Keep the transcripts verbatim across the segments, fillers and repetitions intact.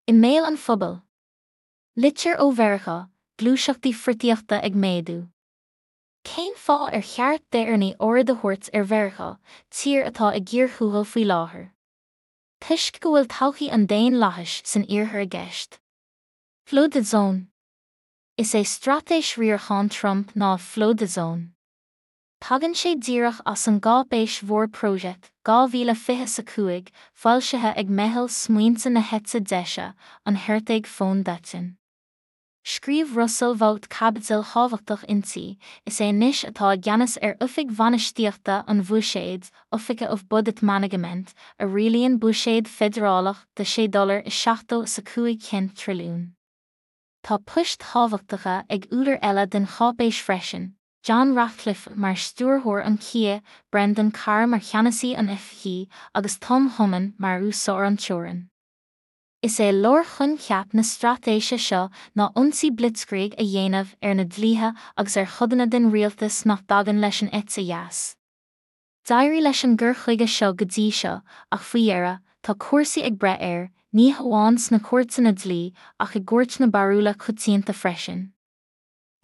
I mbéal an phobail. Litir ó Mheiriceá, gluaiseachtaí friotaíochta ag méadú. Cén fáth ar cheart d'Éireannaigh aird a thabhairt ar Mheiriceá, tír atá i gcíor thuathail faoi láthair? Toisc go bhfuil todhchaí an daonlathais san iarthar i gceist. Flooded Zone. Is é straitéis riarachán Trump ná Flooded Zone. Tagann sé díreach as an gcáipéis mhór Project dhá mhíle fiche a cúig, foilsithe ag Meitheal Smaointe na hEite Deise, an Heritage Foundation. Scríobh Russell Vought caibidil thábhachtach inti, is é anois atá i gceannas ar Oifig Bhainistíochta an Bhuiséid, Office of Budget Management, a rialaíonn buiséad feidearálach de sé dollar is seachtó is a cúig cent trilliún. Tá poist thábhachtacha ag údair eile den cháipéis freisin, John Ratcliffe mar stiúrthóir an C I A, Brendan Carr mar cheannasaí an F B I agus Tom Homan mar úsáir an teorainn. Is é lárchoincheap na straitéise seo ná ionsaí blitzkrieg a dhéanamh ar na dlíthe agus ar chodanna den rialtas nach dtagann leis an eite dheas. D'éirigh leis an gcur chuige seo go dtí seo, ach faoi dheireadh, tá cúrsaí ag breith air, ní hamháin sna cúirteanna dlí ach i gcúirt na barúla coitianta freisin.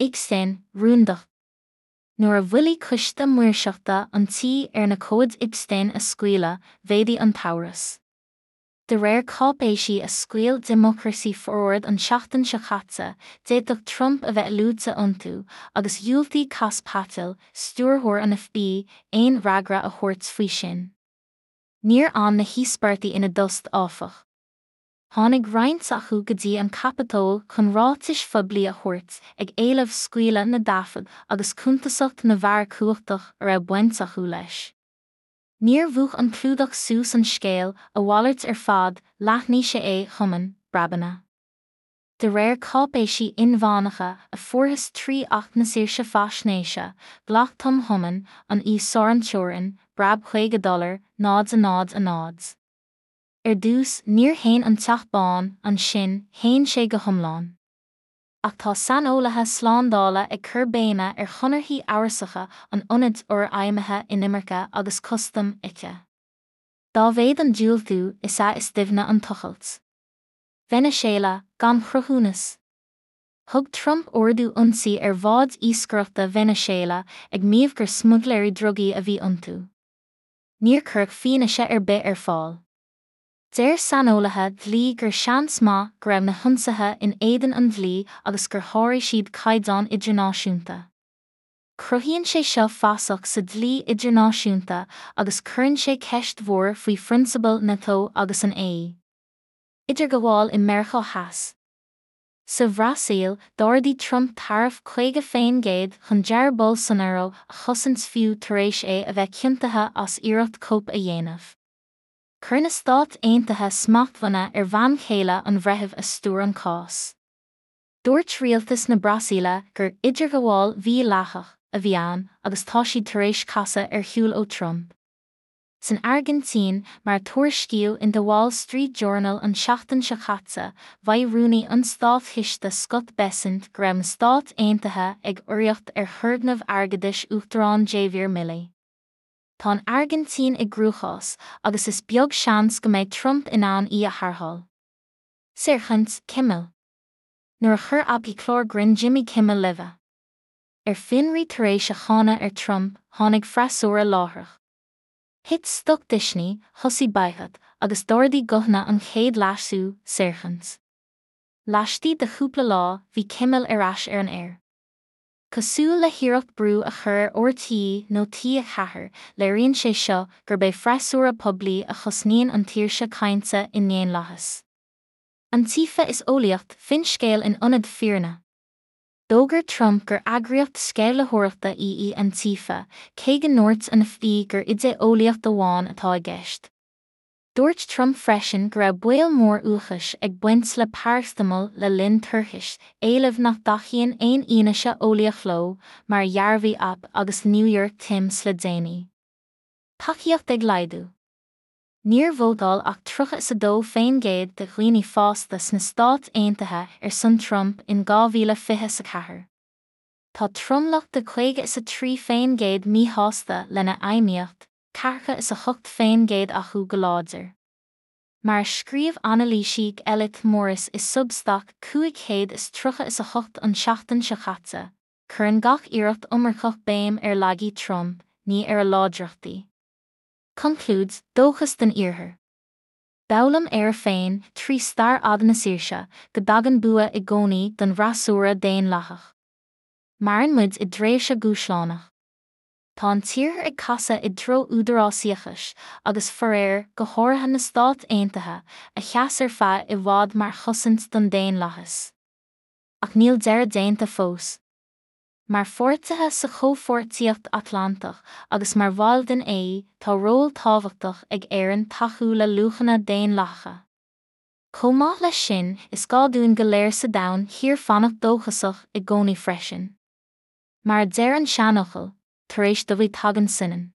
Epstein, rúndacht. Nuair a mhoilligh coiste maoirseachta an tí ar na comhaid Epstein a scaoileadh, mhéadaigh an t-amhras. De réir cáipéisí a scaoil Democracy Forward an tseachtain seo caite, d'fhéadfadh Trump a bheith luaite iontu, agus dhiúltaigh Kash Patel, stiúrthóir an F B I, aon fhreagra a thabhairt faoi sin. Níor fhan na híospartaigh ina dtost áfach. Tháinig roinnt acu go dtí an Capitol chun ráitis phoiblí a thabhairt ag éileamh scaoileadh na dtaifead agus cuntasacht na bhfear cumhachtach a raibh baint acu leis. Níor mhúch an clúdach suas an scéal a mhalairt ar fad, leathnaigh sé é Homan, breabanna. De réir cáipéisí inmheánacha a fuarthas trí Acht na Saoirse Faisnéise, ghlac Tom Homan, an íosár an teorainn, breab caoga dollar, náid a náid a náid. Ar dtús, níor shéan an Teach Bán, ansin, shéan sé go hiomlán. Ach tá saineolaithe slándála ag cur béime ar chonarthaí amhrasacha an ionaid fhorfheidhmithe inimirce agus custam aici. Dá mhéad an diúltú is ea is doimhne an tochailt. Veiniséala, gan chruthúnas. Thug Trump ordú ionsaí ar bháid iascaireachta Veiniséala ag maíomh gur smuigléirí drugaí a bhí iontu. Níor cuireadh fianaise ar bith ar fáil. Deir saineolaithe dlí gur seans maith go raibh na hionsaithe in éadan an dlí agus gur sháraigh siad caighdeán idirnáisiúnta. Cruthaíonn sé seo fasach sa dlí idirnáisiúnta agus cuireann sé ceist mhór faoi phrionsabail NATO agus an A E. Idirghabháil i Meiriceá Theas. Sa Bhrasaíl, d'ardaigh Trump taraif caoga féin gcéad chun Jair Bolsonaro a chosaint fiú tar éis é a bheith ciontaithe as iarracht cóip a dhéanamh. Chuir na Stáit Aontaithe smachtbhanna ar bhean chéile an bhreithimh a stiúir an cás. Dúirt rialtas na Brasaíle gur idirghabháil mhídhleathach a bhí ann agus tá siad tar éis casadh ar shiúl ó Trump. San Airgintín, mar a tuairiscíodh in The Wall Street Journal an tseachtain seo caite, mhaígh rúnaí an Státchiste Scott Bessent go raibh na Stáit Aontaithe ag urraíocht ar thurgnamh airgeadais Uachtarán Javier Milei. Tá an Airgintín i gcruachás agus is beag seans go mbeidh Trump in ann í a tharrtháil. Saorchaint, Kimmel. Nuair a chuir A B C clár grinn Jimmy Kimmel Live. Ar fionraí tar éis a cháineadh ar Trump, tháinig freasúra láithreach. Thit stoc Disney, thosaigh baghcat, agus d'ardaigh guthanna an chéad leasú, saorchaint. Laistigh de chúpla lá, bhí Kimmel ar ais ar an aer. Cosúil le hiarracht brú a chur ar R T nó T a ceathair, léiríonn sé seo gurb é freasúra poiblí a chosnaíonn an tsaoirse cainte i ndaonlathas. Antifa is eolaíocht finscéal in ionad fírinne. D'fhógair Trump gur eagraíocht sceimhlitheoireachta í í Antifa, cé go ndúirt an F B I gur idé-eolaíocht amháin atá i gceist. Dúirt Trump freisin go raibh baol mór uachais ag baint le paracetamol le linn toirchis, éileamh nach dtacaíonn aon fhianaise eolaíoch leo, mar a dhearbhaigh A P agus New York Times le déanaí. Tacaíocht ag laghdú. Níor vótáil ach tríocha is a dó féin gcéad de dhaoine fásta sna Stáit Aontaithe ar son Trump in dhá mhíle fiche a ceathair. Tá tromlach de caoga is a trí féin gcéad míshásta lena fheidhmíocht, ceathracha is a hocht féin gcéad acu go láidir. Mar a scríobh anailísí Elliott Morris i Substack cúig chéad is tríocha is a hocht an tseachtain seo caite, cuireann gach iarracht iomarcach béim ar laigí Trump, ní ar a láidreachtaí. Conclúid, dóchas den Iarthar. D'fhoghlaim Éire féin, trí stair fhada na saoirse, go dtagann bua i gcónaí don bhfreasúra daonlathach. Maireann muid i dtréimhse dhúshlánach. Tá an tIarthar ag casadh i dtreo údarásaíochais, agus faraor, go háirithe na Stáit Aontaithe, a sheas ar feadh i bhfad mar chosaint don daonlathas. Ach níl deireadh déanta fós. Mar pháirtithe sa Chomhpháirtíocht Atlantach agus mar bhaill den A E, tá ról tábhachtach ag Éirinn tacú le luachanna daonlathacha. Chomh maith leis sin, is gá dúinn go léir sa domhan thiar fanacht dóchasach i gcónaí freisin. Mar a deir an seanfhocal, tar éis dubhaigh tagann soineann.